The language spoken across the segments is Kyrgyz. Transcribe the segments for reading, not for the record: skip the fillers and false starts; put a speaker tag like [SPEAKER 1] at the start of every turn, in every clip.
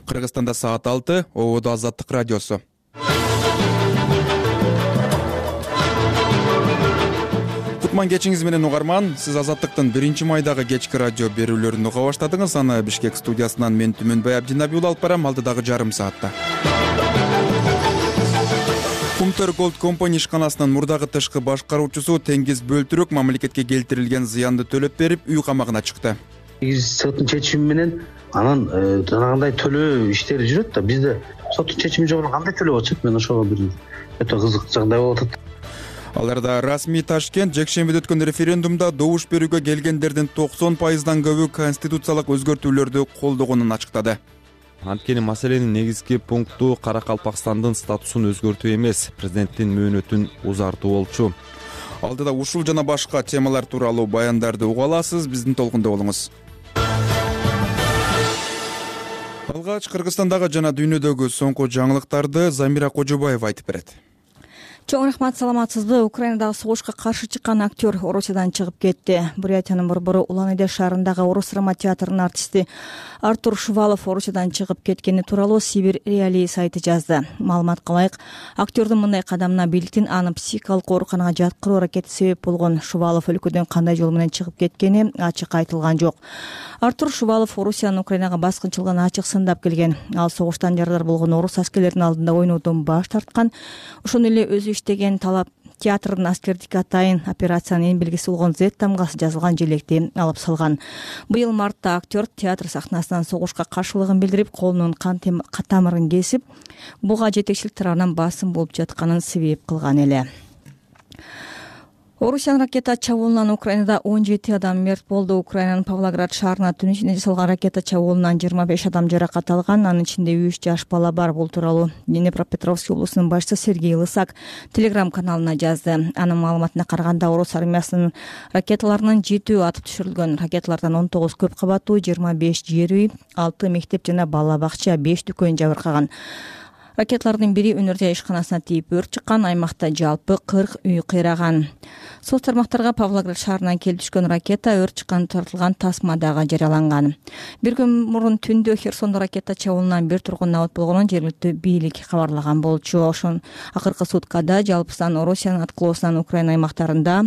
[SPEAKER 1] Кыргызстанда саат 6, ободо Азаттык радиосу. Кутман кечиңиз менен угарман. Сиз Азаттыктын 1-майдагы кечки радио берүүлөрүн уга баштадыңыз. Аны Бишкек студиясынан мен Түмөнбай Абдинабиул алып барам алдыдагы жарым саатта. Кумтөр Gold Company ишканасынын мурдагы тышкы башкаруучусу Теңиз Бөлтүрөк мамлекетке келтирилген зыянды төлөп берип, үй камагына чыкты.
[SPEAKER 2] Соттун чечими менен анан жанагындай төлөө иштери жүрөт да, бизде соттун чечими жок кандай төлөп атышат? Мен ошого бир өтө кызык жагдай болуп атат.
[SPEAKER 1] Аларда расмий Ташкент жекшембиде өткөн референдумда добуш берүүгө келгендердин 90%дан көбү конституциялык өзгөртүүлөрдү колдогонун ачыктады.
[SPEAKER 3] Анткени маселенин негизги пункту Каракалпакстандын статусун өзгөртүү эмес, президенттин мөөнөтүн узартуу болчу.
[SPEAKER 1] Алдыда ушул жана башка темалар тууралуу баяндарды уга аласыз, биздин толкунда болуңуз. Алгач Кыргызстандагы жана дүйнөдөгү соңку жаңылыктарды Замира Кожобаева айтып берет.
[SPEAKER 4] Чоң рахмат, саламатсызбы? Украинадагы согушка каршы чыккан актер Орусиядан чыгып кетти. Бурятиянын борбору Улан-Уде шаарындагы Орус драма театрынын артисти Артур Шувалов Орусиядан чыгып кеткени тууралуу Сибирь Реалии сайты жазды. Маалыматка ылайык, актердун мындай кадамына бийликтин аны психикалык ооруканага жаткыруу аракети себеп болгон. Шувалов өлкөдөн кандай жол менен чыгып кеткени ачык айтылган жок. Артур Шувалов Орусиянын Украинага баскынчылыгын ачык сындап келген. Ал согуштан жаралар болгон орус аскерлеринин алдында ойноодон баш тарткан. Ошону эле өзү иштеген талап театрдын аскердик атайын операциянын эң белгиси болгон Z тамгасы жазылган желекти алып салган. Быйыл мартта актер театр сахнасынан согушка каршылыгын билдирип, колунун кан тамырын кесип, буга жетекчилик тарабынан басым болуп жатканын себеп кылган эле. Орусиянын ракета чабуулунан Украинада 17 адам мерт болду. Украинанын Павлоград шаарына түн ичинде жасалган ракета чабуулунан 25 адам жаракат алган, анын ичинде 3 жаш бала бар. Бул тууралуу Днепропетровск облусунун башчысы Сергей Лысак Telegram каналына жазды. Анын маалыматына караганда, орус армиясынын ракеталарынын 7 атып түшүрүлгөн. Ракеталардан 19 көп кабаттуу, 25 жер үй, 6 мектеп жана бала бакча, 5 дүкөн жабыркаган. Ракеталардын бири өнөр ишканасына тийип өрт чыккан, аймакта жалпы 40 үй кыйраган. Соц тармактарга Павлоград шаарынан келип түшкөн ракета өрт чыккан тартылган тасмадагы жарыяланган. Бир күн мурун түндө Херсондо ракета чабуулунан бир тургун абат болгонун жергиликтүү бийлик кабарлаган болчу. Ошон акыркы суткада жалпы сан Орусиянын аткылоосунан Украина аймактарында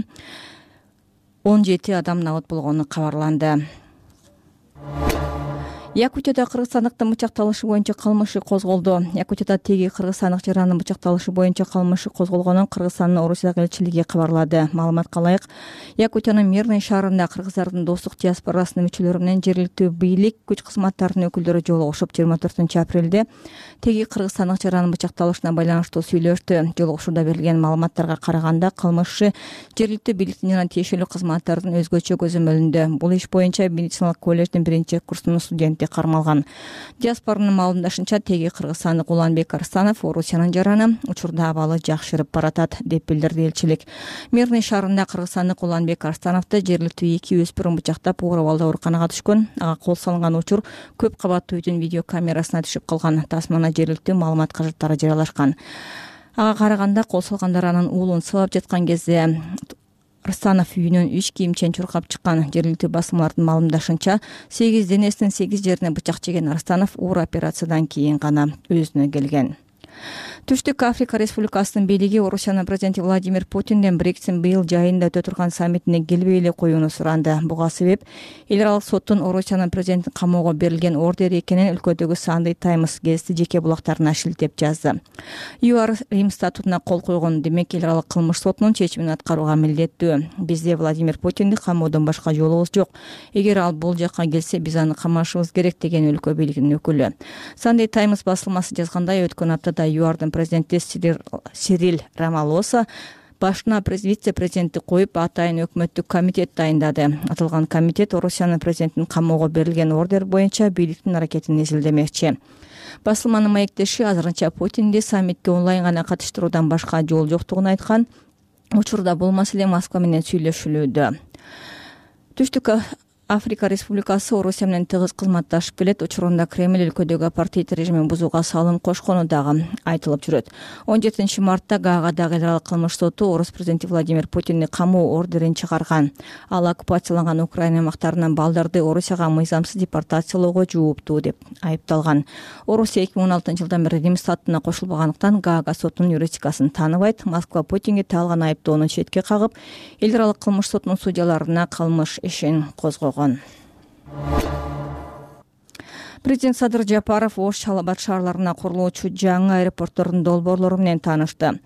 [SPEAKER 4] 17 адам абат болгону кабарланды. Якутияда кыргызстандыктын бычакталышы боюнча кылмышы козголду. Якутияда теги кыргызстандык жаранын бычакталышы боюнча кылмышы козголгонун Кыргызстандын Орусиядагы элчилиги кабарлады. Маалыматка ылайык, Якутиянын Мирный шаарында кыргыздардын достук диаспорасынын мүчөлөрү менен жергиликтүү бийлик, күч кызматтарынын өкүлдөрү жолугушуп 24-апрелде теги кыргызстандык жаранын бычакталышына байланыштуу сүйлөштү. Жолугушууда берилген маалыматтарга караганда, кылмышы жергиликтүү бийликтин жана тиешелүү кызматтардын өзгөчө көзөмөлүндө. Бул иш боюнча медициналык колледждин 1-курсунун студенти кармалган. Диаспоранын маалымдашынча, теги кыргызстандык Уланбек Арстанов Орусиянын жараны учурда абалы жакшырып баратат, деп билдирди элчилик. Мирный шаарында кыргызстандык Уланбек Арстановду жергиликтүү 2 өспүрүм бычактап, оор абалда ооруканага түшкөн. Ага кол салынган учур көп кабаттуу үйдүн видео камерасына түшүп калган. Тасмана жергиликтүү маалымат каражаттары жарыялашкан. Ага караганда, кол салгандар анын уулун сабап жаткан кезде Арстанов үйүнөн 3 кийимчен чуркап чыккан. Жергиликтүү басылмалардын маалымдашынча, 8 денесинин 8 жерине бычак жеген Арстанов оор операциядан кийин гана өзүнө келген. Түштүк Африка Республикасынын бийлиги Орусиянын президенти Владимир Путинден Брекситтин быйыл жайында өтө турган саммитине келбей эле коюуну суранды. Буга себеп эл аралык соттун Орусиянын президентин камоого берилген ордери экенин өлкөдөгү Sunday Times гезити жеке булактарына шилтеп жазды. ЮАР Рим статутуна кол койгон, демек эл аралык кылмыш сотунун чечимин аткарууга милдеттүү. Бизде Владимир Путинди камоодон башка жолубуз жок. Эгер ал бул жакка келсе, биз аны камашыбыз керек, деген өлкө бийлигинин өкүлү. Sunday Times басылмасы жазгандай, өткөн аптада ЮАРдын президенти Сирил Рамалоса башына вице-президентти коюп, атайын өкмөттүк комитет дайындады. Аталган комитет Орусиянын президентинин камоого берилген ордер боюнча бийликтин аракетин изилдемекчи. Басылманын маектеши азырынча Путинди саммитке онлайн гана катыштыруудан башка жол жоктугун айткан. Учурда бул маселе Москва менен сүйлөшүлүүдө. Түштүк Африка Республикасы Орусия менен тыгыз кызматташып келет. Учурунда Кремль өлкөдөгү апартеид режимин бузууга салым кошкону дагы айтылып жүрөт. 17 мартта Гаагадагы эл аралык кылмыш соту орус президенти Владимир Путинди камоо ордерин чыгарган. Ал оккупацияланган Украина аймактарынан балдарды Орусияга мыйзамсыз депортациялоого жооптуу деп айыпталган. Орусия 2016 жылдан бери Рим статутуна кошулбагандыктан Гаага сотунун юрисдикциясын тааныбайт. Москва Путинге таалган айыптоону четке кагып, эл аралык кылмыш сотунун судьяларына кылмыш ишин козгогон. Президент Садыр Жапаров Ош Чалал Абад шаарларына курулуучу жаңы аэропорттордун долбоорлору менен таанышты.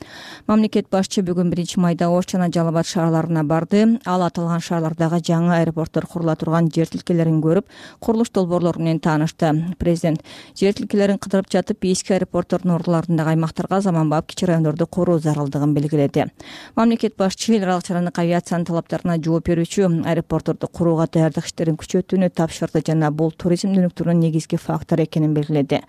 [SPEAKER 4] Мамлекет башчы бүгүн 1 майда Ош жана Жалал Абад шаарларына барды. Ал аталган шаарлардагы жаңы аэропорттор курула турган жер тилкелерин көрүп, курулуш долбоорлору менен таанышты. Президент жер тилкелерин кыдырып жатып, эски аэропорттордун ордуларындагы аймактарга заманбап кичи райондорду куруу зарылдыгын белгиледи. Мамлекет башчы эл аралык чарандык авиациянын талаптарына жооп берүүчү аэропортторду курууга даярдык иштерин күчөтүүнү тапшырды жана бул туризм өнүктүрүүнүн негизги фактор экенин белгиледи.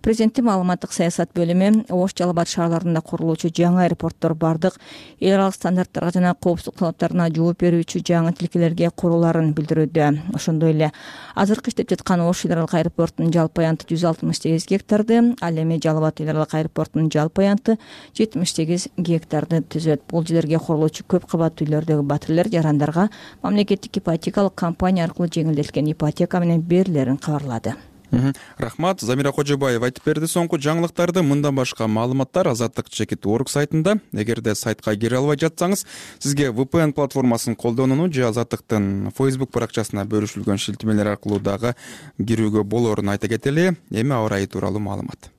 [SPEAKER 4] Президенттин маалыматтык саясат бөлүмү Ош Жалал Абад шаарларында курулуучу жаңы аэропорттор бардык эл аралык стандарттарга жана коопсуздук талаптарына жооп берүүчү жаңы тилкелерге курулаарын билдирүүдө. Ошондой эле азыркы иштеп жаткан Ош эл аралык аэропортунун жалпы аянты 168 гектарды, ал эми Жалал Абад эл аралык аэропортунун жалпы аянты 78 гектарды түзөт. Бул жерлерге курулуучу көп кабаттуу үйлөрдөгү батирлер жарандарга мамлекеттик ипотекалык компания аркылуу жеңилдетилген ипотека менен берилерин кабарлады.
[SPEAKER 1] Рахмат. Замира Кожобаева айтып берди соңку жаңылыктарды. Мындан башка маалыматтар Азаттык.org сайтында. Эгерде сайтка кире албай жатсаңыз, сизге VPN платформасын колдонууну же Азаттыктын Facebook баракчасына бөлүшүлгөн шилтемелер аркылуу дагы кирүүгө болоорун айта кетели. Эми аба ырайы тууралуу маалымат.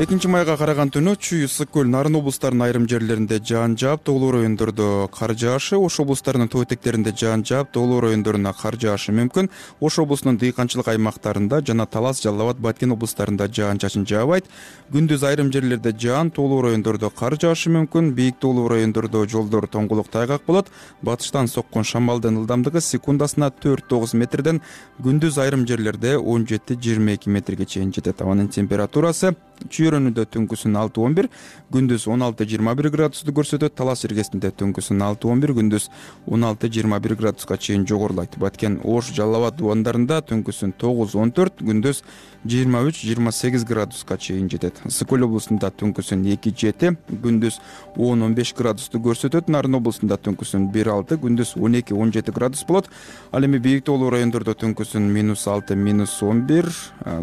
[SPEAKER 1] 2 майга караган түнү Чүй, Ысык көл, Нарын облустарынын айрым жерлеринде жаан жаап, тоолуу райондордо кар жаашы, Ош облустарынын тоо этектеринде жаан жаап, тоолуу райондоруна кар жаашы мүмкүн. Ош облусунун дыйканчылык аймактарында жана Талас, Жалал Абад, Баткен облустарында жаан-чачын жаабайт. Күндүз айрым жерлерде жаан, тоолуу райондордо кар жаашы мүмкүн. Бийик тоолуу райондордо жолдор тоңгулук тайгак болот. Батыштан соккон шамалдын ылдамдыгы секундасына 4-9 метрден, күндүз айрым жерлерде 17-22 метрге чейин жетет. Абанын температурасы Чүйрөнүдө түнкүсүн 6-11, күндүз 16-21 градусту көрсөтөт. Талас иргесинде түнкүсүн 6-11, күндүз 16-21 градуска чейин жогорулайт. Баткен, Ош, Жалал Абад дубандарында түнкүсүн 9-14, күндүз 23-28 градуска чейин жетет. Ысык көл облусунда түнкүсүн 2-7, күндүз 10-15 градусту көрсөтөт. Нарын облусунда түнкүсүн 1-6, күндүз 12-17 градус болот. Ал эми бийик тоолуу райондордо түнкүсүн -6, -11,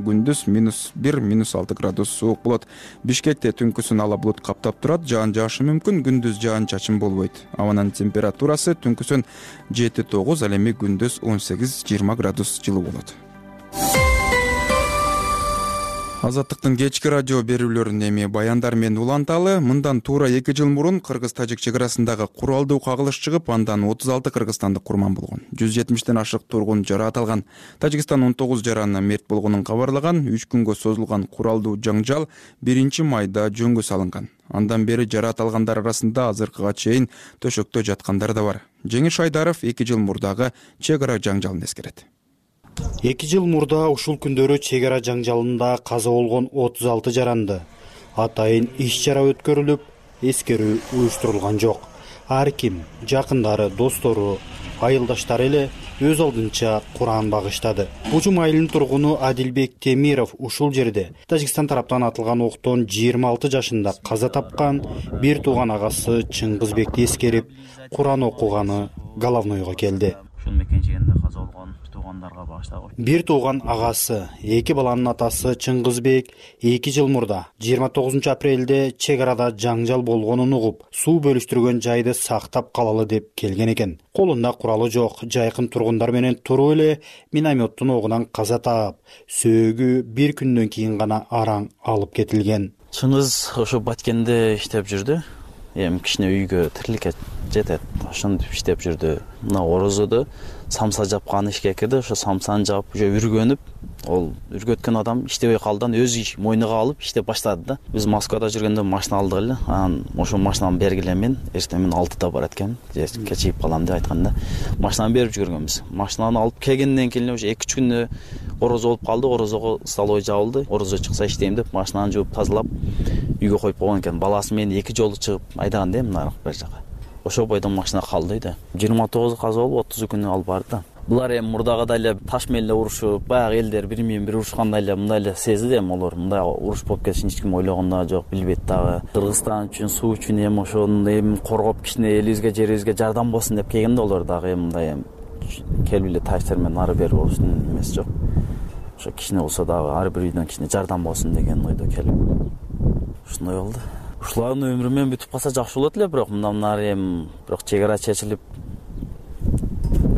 [SPEAKER 1] күндүз -1, -6 градус суук болот. Бишкекте түнкүсүн ала булут каптап турат, жаан жаашы мүмкүн, күндүз жаан-чачын болбойт. Абанын температурасы түнкүсүн 7-9, ал эми күндүз 18-20 градус жылуу болот. Азаттыктын кечки радио берүүлөрүн эми баяндар менен уланталы. Мындан туура 2 жыл мурун Кыргыз-Тажик чек арасындагы куралдуу кагылыш чыгып, андан 36 кыргызстандык курман болгон. 170ден ашык тургун жараат алган. Тажикстан 19 жараны мерт болгонун кабарлаган. 3 күнгө созулган куралдуу жаңжал 1 майда жөнгө салынган. Андан бери жараат алгандар арасында азыркыга чейин төшөктө жаткандар да бар. Жеңиш Айдаров 2 жыл мурдагы чек ара жаңжалын эскерет.
[SPEAKER 5] 2 жыл мурда ушул күндөрү чек ара жаңжалында каза болгон 36 жаранды атайын иш-чара өткөрүлүп, эскерүү уюштурулган жок. Ар ким, жакындары, достору, айылдаштары эле өз алдынча Куран багыштады. Бужум айылынын тургуну Адилбек Темиров ушул жерде Тажикстан тараптан атылган октон 26 жашында каза тапкан бир тууган агасы Чыңгызбекти эскерип, Куран окуганы головнойго келди.
[SPEAKER 6] Ушул мекенжегинде каза болгон туугандарга багыштагы.
[SPEAKER 5] Бир тууган агасы, 2 баланын атасы Чыңгызбек 2 жыл мурда 29 апрелде чек арада жаңжал болгонун угуп, суу бөлүштүргөн жайды сактап калалы деп келген экен. Колунда куралы жок, жайкын тургундар менен туруп эле минометтун огунан каза таап, сөөгү бир күндөн кийин гана араң алып кетилген.
[SPEAKER 6] Чыңгыз ошо Баткенде иштеп жүрдү. Эми кичине үйгө тириликке жетет. Ошентип иштеп жүрдү. Мына орозодо самса жапкан ишке кирди. Ошо самсаны жаап, уже үргөнүп, ол үргөткөн адам иштебей калдан өз мойнуга алып иштеп баштады да. Биз Москвада жүргөндө машина алдык эле. Анан ошо машинаны бергиле мен, эртең мен 6-да барат экенмин. Кечигип калам деп айтканда, машинаны берип жүргөнбүз. Машинаны алып келгенден кийин уже 2-3 күндө орозо болуп калды. Орозого столой жабылды. Орозо чыкса иштейм деп машинаны жууп тазалап үйгө коюп койгон экен. Баласы мен 2 жолу чыгып айдаган да мына бер жака. ошол бойдон машина калды да. 29 каза болуп 30 күнү алып барды да. Булар эми мурдагыдай эле таш менен эле урушуп, баягы элдер бири менен бири урушкандай эле мындай эле сезди эми олар. Мындай уруш болуп кетишин эч ким ойлогон да жок, билбейт дагы. Кыргызстан үчүн, суу үчүн эми ошону эми коргоп кичине элибизге, жерибизге жардам болсун деп келген да олар дагы эми мындай келип эле тачтар менен ары бери болуштун эмеси жок. Ошо кичине болсо дагы ар бир үйдөн кичине жардам болсун деген ойдо келип. Ушундай болду. Ушулардын өмүрү менен бүтүп калса жакшы болот эле, бирок мындан нары эми бирок чек ара чечилип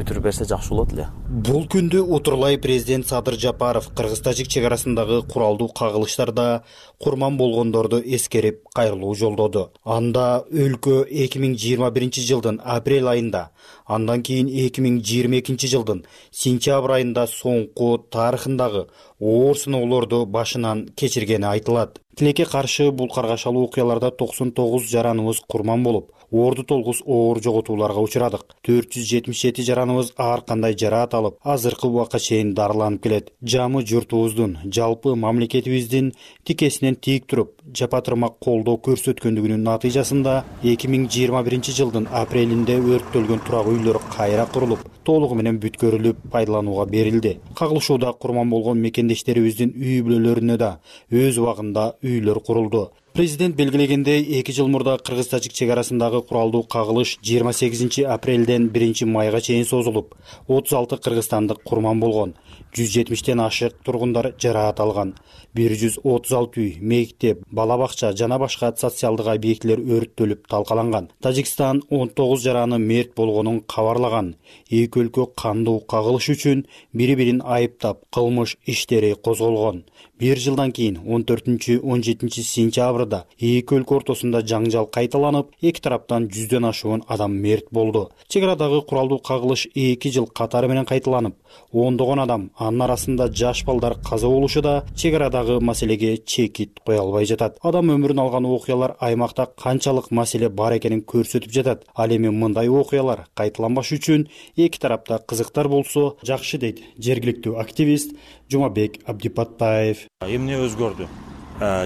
[SPEAKER 6] бүтүрүп берсе жакшы болот эле.
[SPEAKER 5] Бул күндү Утурлай президент Садыр Жапаров Кыргыз-Тажик чек арасындагы куралдуу кагылыштарда курман болгондорду эскерип кайрылуу жолдоду. Анда өлкө 2021 жылдын апрель айында, андан кийин 2022 жылдын сентябрь айында соңку тарыхындагы оор сыноолорду башынан кечиргени айтылат. Тилекке каршы бул каргашалуу окуяларда 99 жараныбыз курман болуп, орду толгус оор жоготууларга учурадык. 477 жараныбыз ар кандай жараат алып, азыркы убакка чейин дарыланып келет. Жамы журтубуздун, жалпы мамлекетибиздин тикесинен тийик туруп, жапатырмак колдоо көрсөткөндүгүнүн натыйжасында 2021 жылдын апрелинде өрттөлгөн турак үйлөр кайра курулуп, толугу менен бүткөрүлүп, пайдаланууга берилди. Кагылышууда курман болгон мекендештерибиздин үй бүлөлөрүнө да өз убагында үйлөр курулду. Президент белгилегендей, 2 жыл мурда Кыргыз-Тажик чек арасындагы куралдуу кагылыш 28 апрелден 1 майга чейин созулуп, 36 кыргызстандык курман болгон, 170тен ашык тургундар жараат алган. 136 үй, мектеп, бала бакча жана башка социалдык объектилер өрттөлүп талкаланган. Тажикстан 19 жараны мерт болгонун кабарлаган. Эки өлкө кандуу кагылыш үчүн бири-бирин айыптап, кылмыш иштери козголгон. 1 жылдан кийин 14-17 сентябрда эки өлкө ортосунда жаңжал кайталанып, эки тараптан 100дөн ашуун адам мерт болду. Чек арадагы куралдуу кагылыш 2 жыл катары менен кайталанып, ондогон адам, анын арасында жаш балдар каза болушу да чек арадагы маселеге чекит кое албай жатат. Адам өмүрүн алган окуялар аймакта канчалык маселе бар экенин көрсөтүп жатат. Ал эми мындай окуялар кайталанбаш үчүн эки тарапта кызыктар болсо жакшы дейт жергиликтүү активист Жумабек Абдипаттаев.
[SPEAKER 7] Эмне өзгөрдү?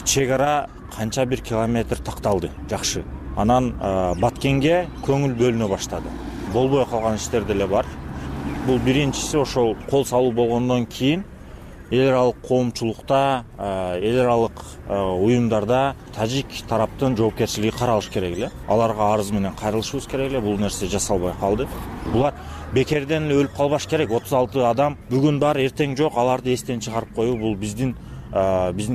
[SPEAKER 7] Чек ара канча бир километр такталды, жакшы. Анан Баткенге көңүл бөлүнө баштады. Болбой калган иштер деле бар. Бул биринчиси ошол кол салуу болгондон кийин эл аралык коомчулукта, эл аралык уюмдарда тажик тараптын жоопкерчилиги каралыш керек эле. Аларга арыз менен кайрылышыбыз керек эле. Бул нерсе жасалбай калды. Булар бекерден эле өлүп калбаш керек. 36 адам бүгүн бар, эртең жок, аларды эстен чыгарып коюу бул биздин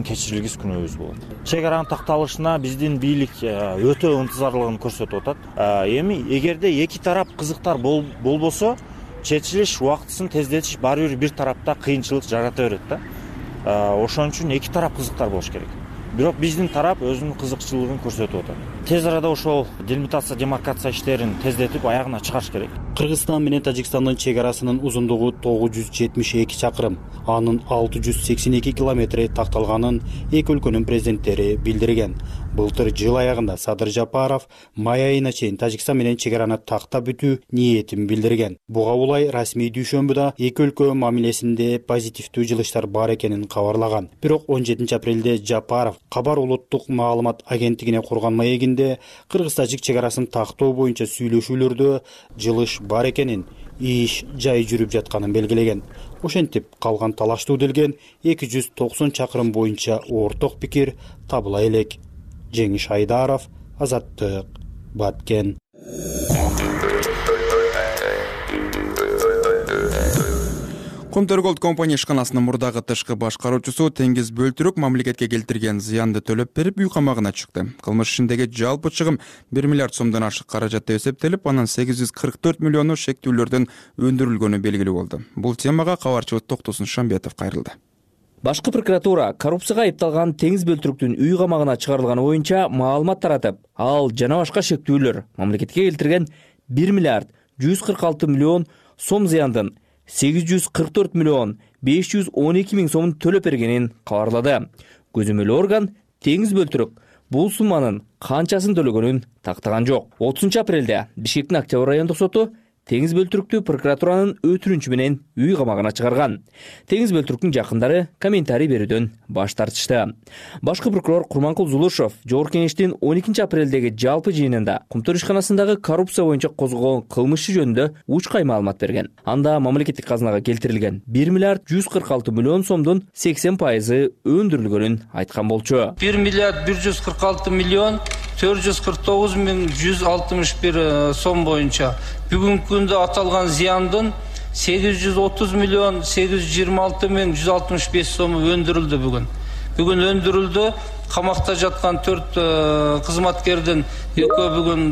[SPEAKER 7] кечирилгис күнөөбүз болот. Чек аранын такталышына биздин бийлик өтө ынтызарлыгын көрсөтүп атат. Эми эгерде эки тарап кызыктар болбосо, чечилиш убактысын тездетиш баары бир тарапта кыйынчылык жарата берет да. Ошон үчүн эки тарап кызыктар болуш керек. Бирок биздин тарап өзүнүн кызыкчылыгын көрсөтүп атат. Тез арада ошол делимитация, демаркация иштерин тездетип аягына чыгарыш керек.
[SPEAKER 5] Кыргызстан менен Тажикстандын чек арасынын узундугу 972 чакырым, анын 682 километри такталганын эки өлкөнүн президенттери билдирген. Былтыр жыл аягында Садыр Жапаров май айына чейин Тажикстан менен чек араны тактап бүтүү ниетин билдирген. Буга улай расмий дүйшөмбүдө эки өлкө мамилесинде позитивдүү жылыштар бар экенин кабарлаган. Бирок 17 апрелде Жапаров Кабар улуттук маалымат агенттигине курган маегинде Кыргыз-Тажик чек арасын тактоо боюнча сүйлөшүүлөрдө жылыш бар экенин, иш жай жүрүп жатканын белгилеген. Ошентип калган талаштуу делген 290 чакырым боюнча орток пикир табыла элек. Жеңиш Айдаров, Азаттык, Баткен.
[SPEAKER 1] Комтөрголд компания ишканасынын мурдагы тышкы башкаруучусу Теңиз Бөлтүрүк мамлекетке келтирген зыянды төлөп берип үй камагына чыкты. Кылмыш ишиндеги жалпы чыгым 1 миллиард сомдон ашык каражатта эсептелип, анан 844 миллиону шектүүлөрдөн өндүрүлгөнү белгилүү болду. Бул темага кабарчыбыз Токтосун Шамбетов кайрылды.
[SPEAKER 8] Башкы прокуратура коррупцияга айыпталган Теңиз Бөлтүрүктүн үй камагына чыгарылганы боюнча маалымат таратып, ал жана башка шектүүлөр мамлекетке келтирген 1 миллиард 146 миллион сом зыяндын 844 миллион 512 миң сомун төлөп бергенин кабарлады. Көзөмөл орган Теңиз Бөлтүрүк бул сумманын канчасын төлөгөнүн тактаган жок. 30 апрелде Бишкектин Октябрь райондук соту Теңиз Бөлтүрүктү прокуратуранын өтүнүчү менен үй камагына чыгарган. Теңиз Бөлтүрүктүн жакындары комментарий берүүдөн баш тартышты. Башкы прокурор Курманкул Зулушев Жогорку Кеңештин 12 апрелдеги жалпы жыйынында Кумтөр ишканасындагы коррупция боюнча козголгон кылмыш жөнүндө учкай маалымат берген. Анда мамлекеттик казынага келтирилген 1 миллиард 146 миллион сомдун 80% өндүрүлгөнүн айткан болчу.
[SPEAKER 9] 1 миллиард 146 миллион 449 миң 161 сом боюнча бүгүнкү күндө аталган зыяндын 830 миллион 826 миң 165 сому өндүрүлдү. Бүгүн өндүрүлдү. Камакта жаткан 4 кызматкердин 2 бүгүн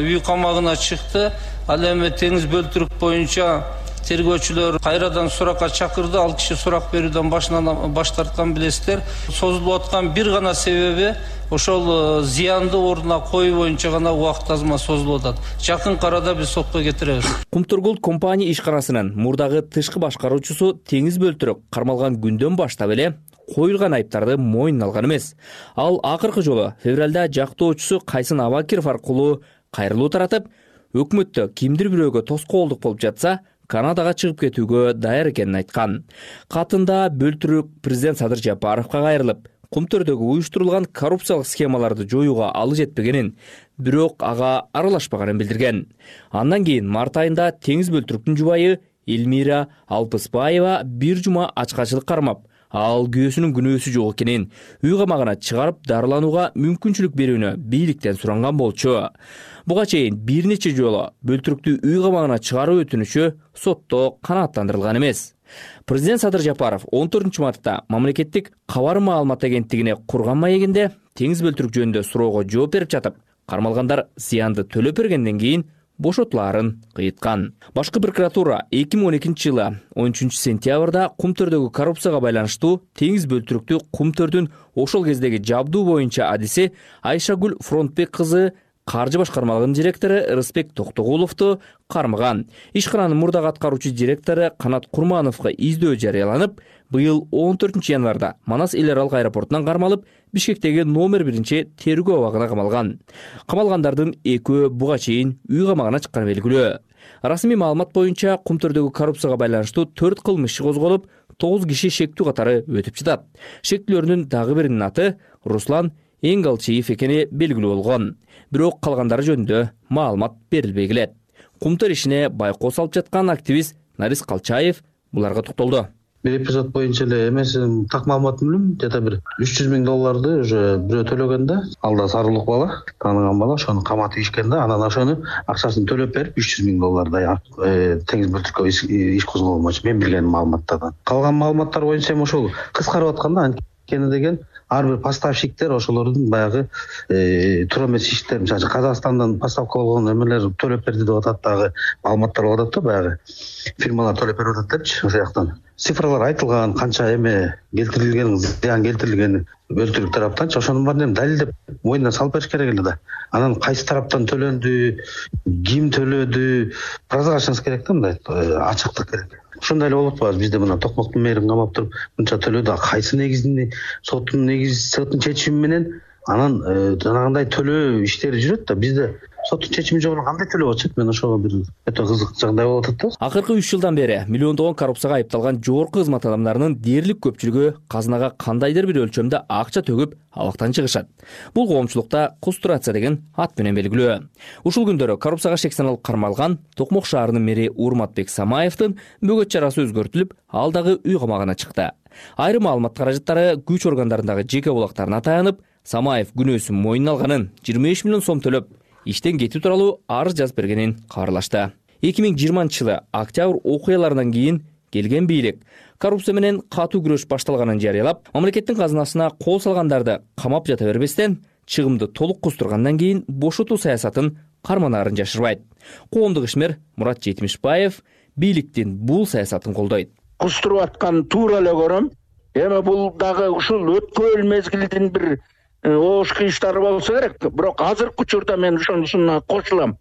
[SPEAKER 9] үй камагына чыкты. Ал эми Теңиз Бөлтүрүк боюнча тергөөчүлөр кайрадан суракка чакырды. Ал киши сурак берүүдөн баш тарткан билесиздер. Созулуп аткан бир гана себеби ошол зыянды ордуна коюу боюнча гана убакыт азма созулуп атат. Жакын арада биз сотко кетиребиз.
[SPEAKER 8] Кумтөр компания ишканасынын мурдагы тышкы башкаруучусу Теңиз Бөлтүрүк кармалган күндөн баштап эле коюлган айыптарды мойнуна алган эмес. Ал акыркы жолу февралда жактоочусу Кайсын Абакиров аркылуу кайрылуу таратып, өкмөттө кимдир бирөөгө тоскоолдук болуп жатса, Канадага чыгып кетүүгө даяр экенин айткан. Катында Бөлтүрүк президент Садыр Жапаровго кайрылып, Кумтөрдөгү уюштурулган коррупциялык схемаларды жоюуга алы жетпегенин, бирок ага аралашпаганын билдирген. Андан кийин март айында Теңиз Бөлтүрүктүн жубайы Элмира Алпыспаева бир жума ачкачылык кармап, ал күйөөсүнүн күнөөсү жок экенин, үй камагына чыгарып дарыланууга мүмкүнчүлүк берүүнү бийликтен суранган болчу. Буга чейин бир нече жолу Бөлтүрүктү үй камагына чыгаруу өтүнүчү сотто канааттандырылган эмес. Президент Садыр Жапаров 14-мартта мамлекеттик кабар маалымат агенттигине курган маегинде Теңиз Бөлтүрүк жөнүндө суроого жооп берип жатып, кармалгандар зыянды төлөп бергенден кийин бошотулаарын кыйыткан. Башкы прокуратура 2012 жылы 13 сентябрда Кумтөрдөгү коррупцияга байланыштуу Теңиз Бөлтүрүктү Кумтөрдүн ошол кездеги жабдуу боюнча адиси Айшагүл Фронтбек кызы каржы башкармалыгынын директору Рыспек Токтогуловду кармаган. Ишкананын мурдагы аткаруучу директору Канат Курмановго издөө жарыяланып, быйыл 14 январда Манас эл аралык аэропортунан кармалып, Бишкектеги номер 1 тергөө абагына камалган. Камалгандардын экөө буга чейин үй камагына чыкканы белгилүү. Расмий маалымат боюнча Кумтөрдөгү коррупцияга байланыштуу 4 кылмыш иши козголуп, 9 киши шектүү катары өтүп жатат. Шектүүлөрдүн дагы биринин аты Руслан Энгалчиев экени белгилүү болгон. Бирок калгандары жөнүндө маалымат берилбей келет. Кумтөр ишине байкоо салып жаткан активист Нарис Калчаев буларга токтолду.
[SPEAKER 2] Бир эпизод боюнча эле эмесин так маалыматын билем, жада бир 300 миң долларды уже бирөө төлөгөн да, ал да сарылык бала, тааныган бала, ошону каматып ишкен да, анан ошону акчасын төлөп берип 300 миң доллардай Теңиз Бөлтүрүккө иш козголгон болчу. Мен билген маалыматтардан. Калган маалыматтар боюнча эми ошол кыскарып атканда анткени деген ар бир поставщиктер ошолордун баягы туура эмес иштер, мисалы Казакстандан поставка болгон эмелер төлөп берди деп атат, дагы маалыматтар болуп атат да, баягы фирмалар төлөп берип атат депчи, ошол жактан. Цифралар айтылган, канча эме келтирилген, зыян келтирилгени Бөлтүрүк тараптанчы, ошонун баарын далилдеп мойнуна салып бериш керек эле да. Анан кайсы тараптан төлөндү, ким төлөдү, прозрачность керек да, мындай ачыктык керек. Ошондой эле болуп атпайбы, бизде мына Токмоктун мэрин камап туруп мынча төлөдү, кайсы негизинде соттун чечими менен анан жанагындай төлөө иштери жүрөт да, бизде соттун чечими жок кандай төлөп атышат? Мен ошого бир өтө кызык жагдай болуп атат да.
[SPEAKER 8] Акыркы 3 жылдан бери миллиондогон коррупцияга айыпталган жогорку кызмат адамдарынын дээрлик көпчүлүгү казынага кандайдыр бир өлчөмдө акча төгүп абактан чыгышат. Бул коомчулукта кустурация деген ат менен белгилүү. Ушул күндөрү коррупцияга шек саналып кармалган Токмок шаарынын мэри Урматбек Самаевдин бөгөт чарасы өзгөртүлүп, ал дагы үй камагына чыкты. Айрым маалымат каражаттары күч органдарындагы жеке булактарына таянып, Самаев күнөөсүн мойнуна алганын, 25 миллион сом төлөп, иштен кетүү тууралуу арыз жазып бергенин кабарлашты. 2020 жылы октябрь окуяларынан кийин келген бийлик коррупция менен катуу күрөш башталганын жарыялап, мамлекеттин казынасына кол салгандарды камап жата бербестен, чыгымды толук кустургандан кийин бошотуу саясатын карманаарын жашырбайт. Коомдук ишмер Мурат Жетимишбаев бийликтин бул саясатын колдойт.
[SPEAKER 10] Кустуруп аткан туура эле көрөм. Эми бул дагы ушул өткөн мезгилдин бир ошку иштери болсо керек. Бирок азыркы учурда мен ошонусуна кошулам.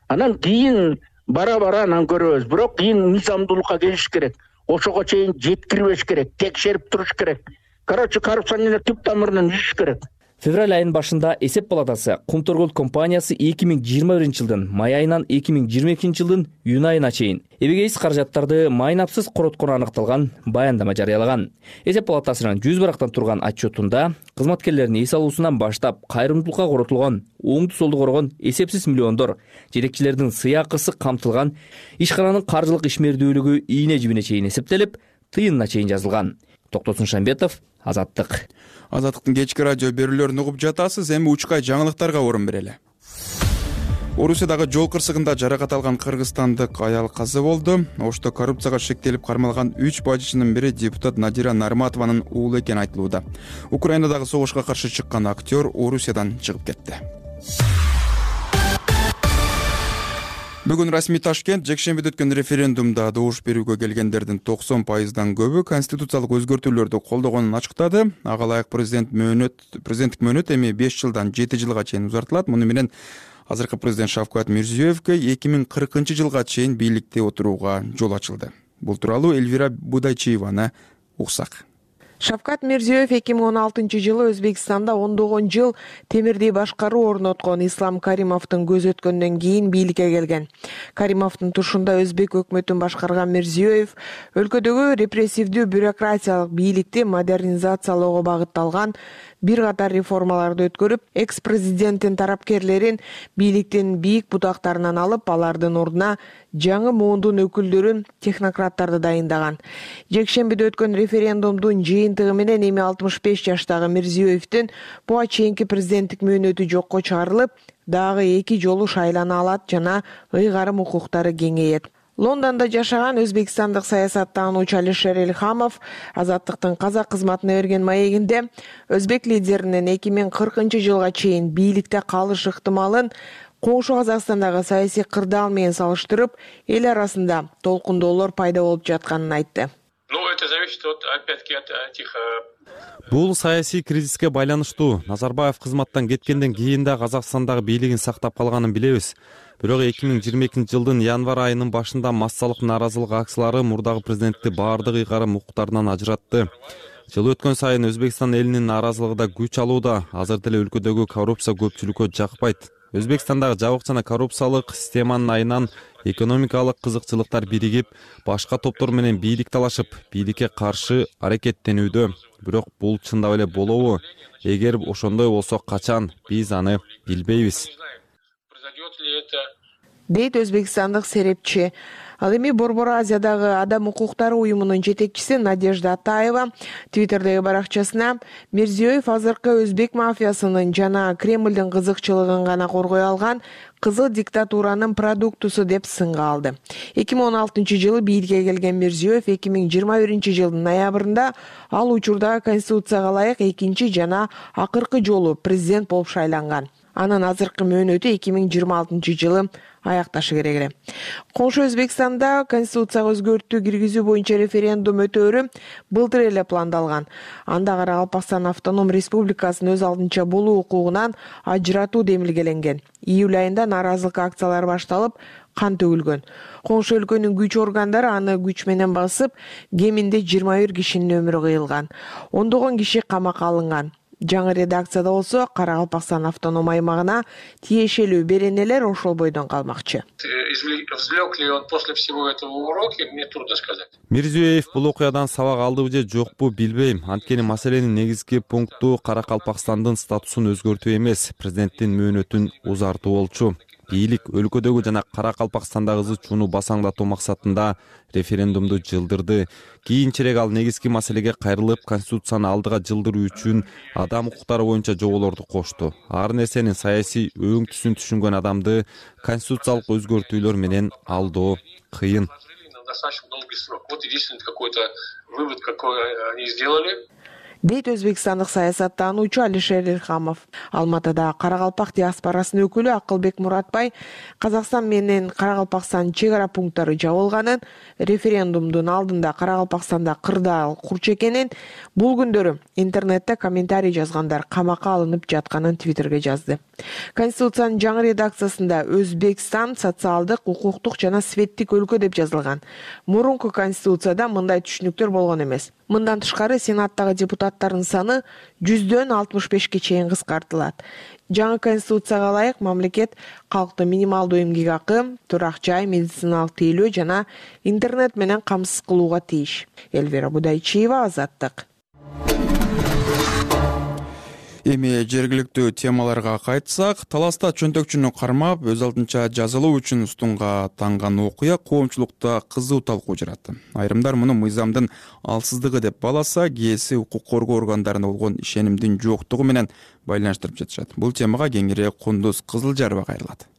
[SPEAKER 10] Анан кийин бара анан көрөбүз. Бирок кийин мыйзамдуулукка келиш керек. Ошого чейин жеткирбеш керек, текшерип туруш керек. Короче, коррупцияны түп тамырынан үзүш керек.
[SPEAKER 8] Февраль айынын башында эсеп палатасы Кумторгул компаниясы 2021 жылдын май айынан 2022 жылдын июнь айына чейин эбегейсиз каражаттарды майнапсыз короткону аныкталган баяндама жарыялаган. Эсеп палатасынын 100 барактан турган отчетунда кызматкерлердин эс алуусунан баштап кайрымдуулукка коротулган, оңду солду коргон эсепсиз миллиондор, жетекчилердин сыйакысы камтылган, ишкананын каржылык ишмердүүлүгү ийне жибине чейин эсептелип, тыйынына чейин жазылган. Токтосун Шамбетов, Азаттык.
[SPEAKER 1] Азаттыктын кечки радио берүүлөрүн угуп жатасыз. Эми учкай жаңылыктарга орун берели. Орусиядагы жол кырсыгында жаракат алган кыргызстандык аял каза болду. Ошто коррупцияга шектелип кармалган 3 бажычынын бири депутат Надира Нарматованын уулу экени айтылууда. Украинадагы согушка каршы чыккан актер Орусиядан чыгып кетти. Бүгүн расмий Ташкент жекшембиде өткөн референдумда добуш берүүгө келгендердин 90%дан көбү конституциялык өзгөртүүлөрдү колдогонун ачыктады. Ага ылайык президенттик мөөнөт эми 5 жылдан 7 жылга чейин узартылат. Муну менен азыркы президент Шавкат Мирзиёевке 2040 жылга чейин бийликте отурууга жол ачылды. Бул тууралуу Эльвира Будайчиеваны уксак.
[SPEAKER 11] Шавкат Мирзиёев 2016 жылы Өзбекстанда ондогон жыл темирдей башкаруу орноткон Ислам Каримовдун көз өткөндөн кийин бийликке келген. Каримовдун тушунда өзбек өкмөтүн башкарган Мирзиёев өлкөдөгү репрессивдүү бюрократиялык бийликти модернизациялоого багытталган бир катар реформаларды өткөрүп, экс-президенттин тарапкерлерин бийликтин бийик бутактарынан алып, алардын ордуна жаңы муундун өкүлдөрүн, технократтарды дайындаган. Жекшембиде өткөн референдумдун жыйынтыгы менен эми 65 жаштагы Мирзиёевдин буга чейинки президенттик мөөнөтү жокко чыгарылып, дагы 2 жолу шайлана алат жана ыйгарым укуктары кеңейет. Лондондо жашаган өзбекстандык саясаттануучу Алишер Эльхамов Азаттыктын казак кызматына берген маегинде өзбек лидеринин 2040 жылга чейин бийликте калыш ыктымалын коңшу Казакстандагы саясий кырдаал менен салыштырып, эл арасында толкундоолор пайда болуп жатканын айтты.
[SPEAKER 12] Это зависит опять-таки от этих.
[SPEAKER 3] Бул саясий кризиске байланыштуу. Назарбаев кызматтан кеткенден кийин да Казакстандагы бийлигин сактап калганын билебиз. Бирок 2022 жылдын январь айынын башында массалык нааразылык акциялары мурдагы президентти баардык ыйгарым укуктарынан ажыратты. Жыл өткөн сайын Өзбекстан элинин нааразылыгы да күч алууда. Азыр деле өлкөдөгү коррупция көпчүлүккө жакпайт. Өзбекстандагы жабык жана коррупциялык системанын айынан экономикалык кызыкчылыктар биригип, башка топтор менен бийлик талашып, бийликке каршы аракеттенүүдө. Бирок бул чындап эле болобу? Эгер ошондой болсо качан, биз аны билбейбиз.
[SPEAKER 11] Дейт өзбекстандык серепчи. Ал эми Борбор Азиядагы адам укуктары уюмунун жетекчиси Надежда Атаева Твиттердеги баракчасына Мирзиёев азыркы өзбек мафиясынын жана Кремлдин кызыкчылыгын гана коргой алган кызыл диктатуранын продуктусу деп сынга алды. 2016 жылы бийликке келген Мирзиёев 2021 жылдын ноябрында ал учурдагы конституцияга ылайык экинчи жана акыркы жолу президент болуп шайланган. Анын азыркы мөөнөтү 2026 жылы аякташы керек эле. Коңшу Өзбекстанда конституцияга өзгөртүү киргизүү боюнча референдум өтөөрү былтыр эле пландалган. Анда Каракалпакстан автоном республикасын өз алдынча болуу укугунан ажыратуу демилгеленген. Июль айында нааразылык акциялары башталып, кан төгүлгөн. Коңшу өлкөнүн күч органдары аны күч менен басып, кеминде 21 кишинин өмүрү кыйылган. Ондогон киши камакка алынган. Жаңы редакцияда болсо Каракалпакстан автоном аймагына тиешелүү беренелер ошол бойдон калмакчы.
[SPEAKER 12] Извлек ли он после всего этого уроки, мне трудно сказать.
[SPEAKER 3] Мирзиёев бул окуядан сабак алдыбы же жокпу билбейм. Анткени маселенин негизги пункту Каракалпакстандын статусун өзгөртүү эмес, президенттин мөөнөтүн узартуу болчу. Бийлик өлкөдөгү жана Каракалпакстандагы ызы чууну басаңдатуу максатында референдумду жылдырды. Кийинчерээк ал негизги маселеге кайрылып, конституцияны алдыга жылдыруу үчүн адам укуктары боюнча жоболорду кошту. Ар нерсенин саясий өң түсүн түшүнгөн адамды конституциялык өзгөртүүлөр менен алдоо кыйын.
[SPEAKER 12] Достаточно долгий срок. Вот единственный какой-то вывод, какой они сделали.
[SPEAKER 11] Дейт өзбекстандык саясаттануучу Алишер Эльхамов. Алматыда Каракалпак диаспорасынын өкүлү Акылбек Муратбай Казакстан менен Каракалпакстан чек ара пункттары жабылганын, референдумдун алдында Каракалпакстанда кырдаал курчу экенин, бул күндөрү интернетте комментарий жазгандар камакка алынып жатканын Твиттерге жазды. Конституциянын жаңы редакциясында Өзбекстан социалдык, укуктук жана светтик өлкө деп жазылган. Мурунку конституцияда мындай түшүнүктөр болгон эмес. Мындан тышкары Сенаттагы депутат каттардын саны 100дөн 65-ке чейин кыскартылат. Жаңы конституцияга ылайык мамлекет калктын минималдуу эмгек акы, турак жай, медициналык тейлөө жана интернет менен камсыз кылууга тийиш. Элвира Будайчиева, Азаттык.
[SPEAKER 1] Эми жергиликтүү темаларга кайтсак, Таласта чөнтөкчүнү кармап, өз алдынча жазалоо үчүн устунга танган окуя коомчулукта кызуу талкуу жаратты. Айрымдар муну мыйзамдын алсыздыгы деп бааласа, кээси укук коргоо органдарына болгон ишенимдин жоктугу менен байланыштырып жатышат. Бул темага кеңири Кундуз Кызылжарова кайрылат.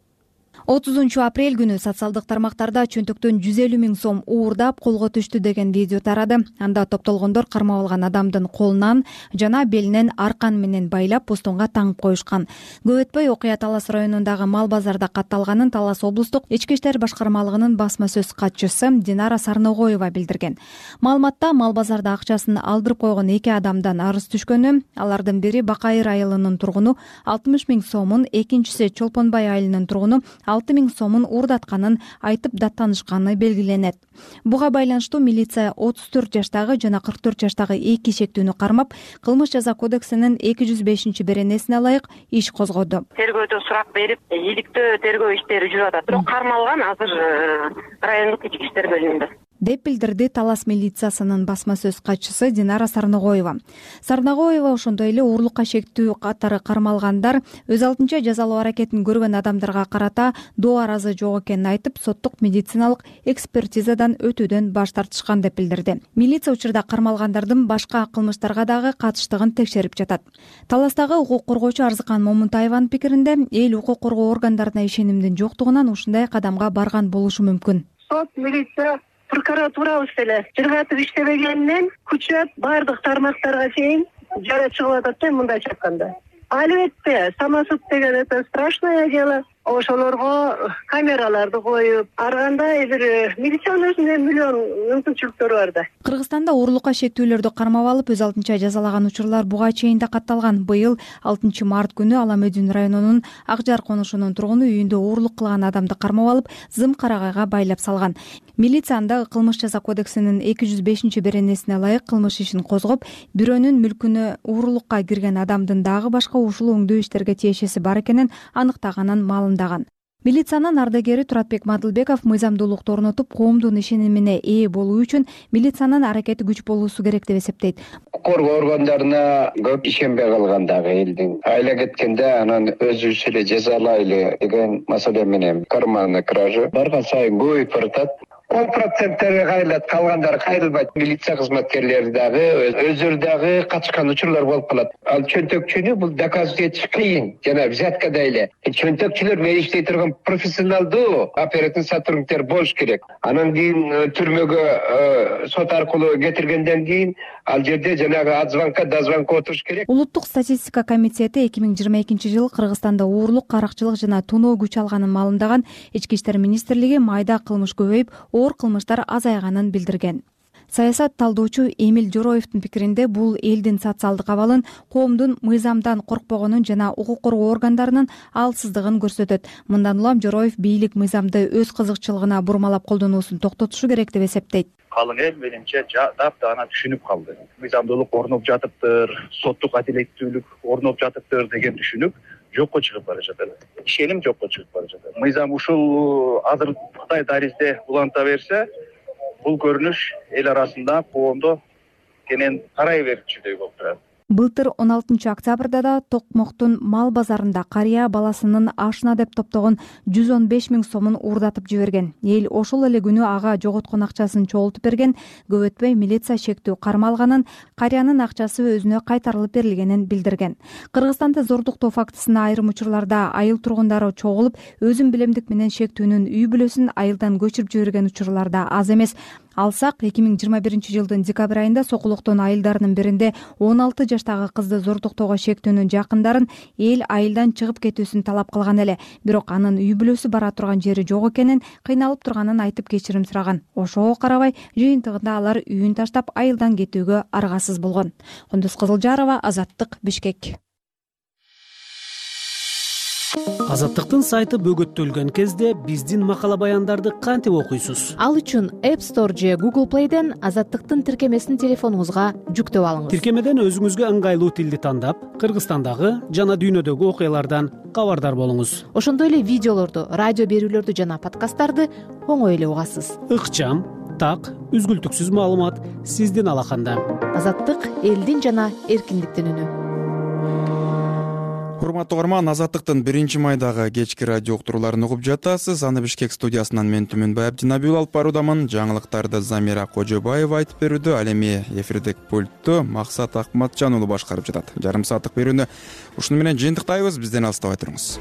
[SPEAKER 13] 30 апрель күнү социалдык тармактарда чөнтөктөн 150 000 сом уурдап колго түштү деген видео тарады. Анда топтолгондор кармап алган адамдын колунан жана белинен аркан менен байлап устунга таңып коюшкан. Көп өтпөй окуя Талас районундагы мал базарда катталганын Талас облустук ички иштер башкармалыгынын басма сөз катчысы Динара Сарногоева билдирген. Маалыматта мал базарда акчасын алдырып койгон 2 адамдан арыз түшкөнү, алардын бири Бакайыр айылынын тургуну 60 000 сомун, экинчиси Чолпонбай айылынын тургуну 6 000 сомун уурдатканын айтып даттанышканы белгиленет. Буга байланыштуу милиция 34 жаштагы жана 44 жаштагы 2 шектүүнү кармап, кылмыш жаза кодексинин 205-беренесине ылайык иш козгоду.
[SPEAKER 14] Тергөөдө сурак берип, иликтөө тергөө иштери жүрүп атат. Бирок кармалган азыр райондук ички иштер бөлүмүндө
[SPEAKER 13] деп билдирди Талас милициясынын басма сөз катчысы Динара Сарногоева. Сарногоева ошондой эле уурлукка шектүү катары кармалгандар өз алдынча жазалоо аракетин көргөн адамдарга карата доо аразы жок экенин айтып, соттук медициналык экспертизадан өтүүдөн баш тартышкан деп билдирди. Милиция учурда кармалгандардын башка кылмыштарга дагы катыштыгын текшерип жатат. Таластагы укук коргоочу Арзыкан Момунтаеванын пикиринде, эл укук коргоо органдарына ишенимдин жоктугунан ушундай кадамга барган болушу мүмкүн.
[SPEAKER 14] Сот, милиция, прокуратурабыз деле жыргатып иштебегенинен күчөп баардык тармактарга чейин жара чыгып атат да мындай айтканда. Албетте, самосуд деген это страшное дело. Ошолорго камераларды коюп, ар кандай бир милициянын өзүнүн миллион мүмкүнчүлүктөрү бар да.
[SPEAKER 13] Кыргызстанда уурлукка шектүүлөрдү кармап алып, өз алдынча жазалаган учурлар буга чейин да катталган. Быйыл 6 март күнү Аламөдүн районунун Ак Жар конушунун тургуну үйүндө уурлук кылган адамды кармап алып, зым карагайга байлап салган. Милиция анда кылмыш жаза кодексинин 205-беренесине ылайык кылмыш ишин козгоп, бирөөнүн мүлкүнө уурлукка кирген адамдын дагы башка ушул өңдүү иштерге тиешеси бар экенин аныктаганын маалымдаган. Милициянын ардагери Туратбек Мадылбеков мыйзамдуулукту орнотуп, коомдун ишенимине ээ болуу үчүн милициянын аракети күч болуусу керек деп эсептейт.
[SPEAKER 15] Коргоо органдарына көп ишенбей калган дагы элдин айла кеткенде анан өзүбүз эле жазалайлы деген маселе менен карманный кража барган сайын көбөйүп баратат. 10% кайрылат, калгандары кайрылбайт. Милиция кызматкерлери дагы өздөрү дагы катышкан учурлар болуп калат. Ал чөнтөкчүнү бул доказать этиш кыйын. Жана взяткадай эле. Чөнтөкчүлөр менен иштей турган профессионалдуу оперативный сотрудниктер болуш керек. Анан кийин түрмөгө сот аркылуу кетиргенден кийин ал жерде жанагы от звонка до звонка отуруш керек.
[SPEAKER 13] Улуттук статистика комитети 2022-жылы Кыргызстанда уурлук, каракчылык жана тоноо күч алганын маалымдаган. Ички иштер министрлиги майда кылмыш көбөйүп, оор кылмыштар азайганын билдирген. Саясат талдоочу Эмил Жороевдин пикиринде бул элдин социалдык абалын, коомдун мыйзамдан коркпогонун жана укук коргоо органдарынын алсыздыгын көрсөтөт. Мындан улам Жороев бийлик мыйзамды өз кызыкчылыгына бурмалап колдонуусун токтотушу керек деп эсептейт.
[SPEAKER 16] Калың эл менимче таптана түшүнүп калды. Мыйзамдуулук орноп жатыптыр, соттук адилеттүүлүк орноп жатыптыр деген түшүнүк жокко чыгып бара жатат. Ишеним жокко чыгып бара жатат. Мыйзам ушул азыр Кытай даризде уланта берсе, бул көрүнүш эл арасында коомдо кенен тарай берчүдөй болуп турат.
[SPEAKER 13] Былтыр 16 октябрда да Токмоктун мал базарында карыя баласынын ашына деп топтогон 115 000 сомун уурдатып жиберген. Эл ошол эле күнү ага жоготкон акчасын чогултуп берген. Көп өтпөй милиция шектүү кармалганын, карыянын акчасы өзүнө кайтарылып берилгенин билдирген. Кыргызстанда зордуктоо фактысына айрым учурларда айыл тургундары чогулуп, өзүн билемдик менен шектүүнүн үй бүлөсүн айылдан көчүрүп жиберген учурлар да аз эмес. Алсак 2021-жылдын декабрь айында Сокулуктун айылдарынын биринде 16 жаштагы кызды зордуктоого шектүүнүн жакындарын эл айылдан чыгып кетүүсүн талап кылган эле. Бирок анын үй бүлөсү бара турган жери жок экенин, кыйналып турганын айтып кечирим сураган. Ошого карабай жыйынтыгында алар үйүн таштап айылдан кетүүгө аргасыз болгон. Кундуз Кызылжарова, Азаттык, Бишкек.
[SPEAKER 17] Азаттыктын сайты бөгөттөлгөн кезде биздин макала баяндарды кантип окуйсуз?
[SPEAKER 18] Ал үчүн App Store же Google Play'ден Азаттыктын тиркемесин телефонуңузга жүктөп алыңыз.
[SPEAKER 17] Тиркемеден өзүңүзгө ыңгайлуу тилди тандап, Кыргызстандагы жана дүйнөдөгү окуялардан кабардар болуңуз.
[SPEAKER 18] Ошондой эле видеолорду, радио берүүлөрдү жана подкасттарды оңой эле угасыз.
[SPEAKER 17] Ыкчам, так, үзгүлтүксүз маалымат сиздин алаканда.
[SPEAKER 18] Азаттык элдин жана эркиндиктин үнү.
[SPEAKER 1] Урматтуу угарман, Азаттыктын 1-майдагы кечки радио уктурууларын угуп жатасыз. Аны Бишкек студиясынан мен Түмөнбай Абдинабиул алып баруудамын. Жаңылыктарды Замира Кожобаева айтып берүүдө, ал эми эфирдик пультту Максат Акматжан уулу башкарып жатат. Жарым сааттык берүүнү ушуну менен жыйынтыктайбыз. Бизден алыстабай туруңуз.